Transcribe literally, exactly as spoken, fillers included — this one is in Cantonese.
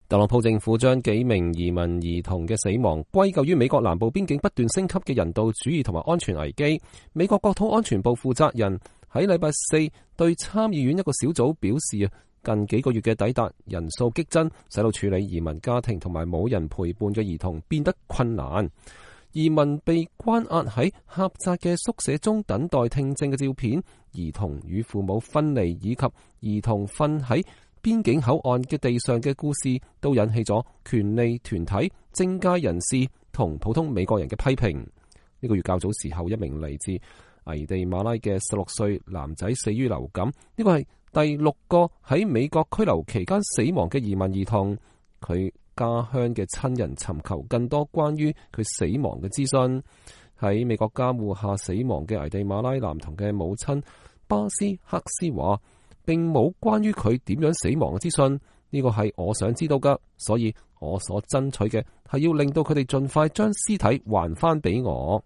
特朗普政府將幾名移民兒童嘅死亡歸咎於美國南部邊境不斷升級嘅人道主義同埋安全危機。美國國土安全部負責人喺禮拜四對參議院一個小組表示啊，近幾個月嘅抵達人數激增，使到處理移民家庭同埋冇人陪伴嘅兒童變得困難。移民被關押喺狹窄嘅宿舍中等待聽證嘅照片，兒童與父母分離以及兒童瞓喺邊境口岸嘅地上嘅故事，都引起咗權利團體、政界人士同普通美國人嘅批評。呢個月較早時候，一名嚟自危地馬拉嘅十六歲男仔死於流感，呢個係第六個喺美國拘留期間死亡嘅移民兒童。佢家鄉嘅親人尋求更多關於佢死亡嘅資訊。喺美國監護下死亡嘅危地馬拉男童嘅母親巴斯克斯話，並冇關於佢點樣死亡嘅資訊，呢個係我想知道噶，所以我所爭取嘅係要令到佢哋盡快將屍體還翻俾我。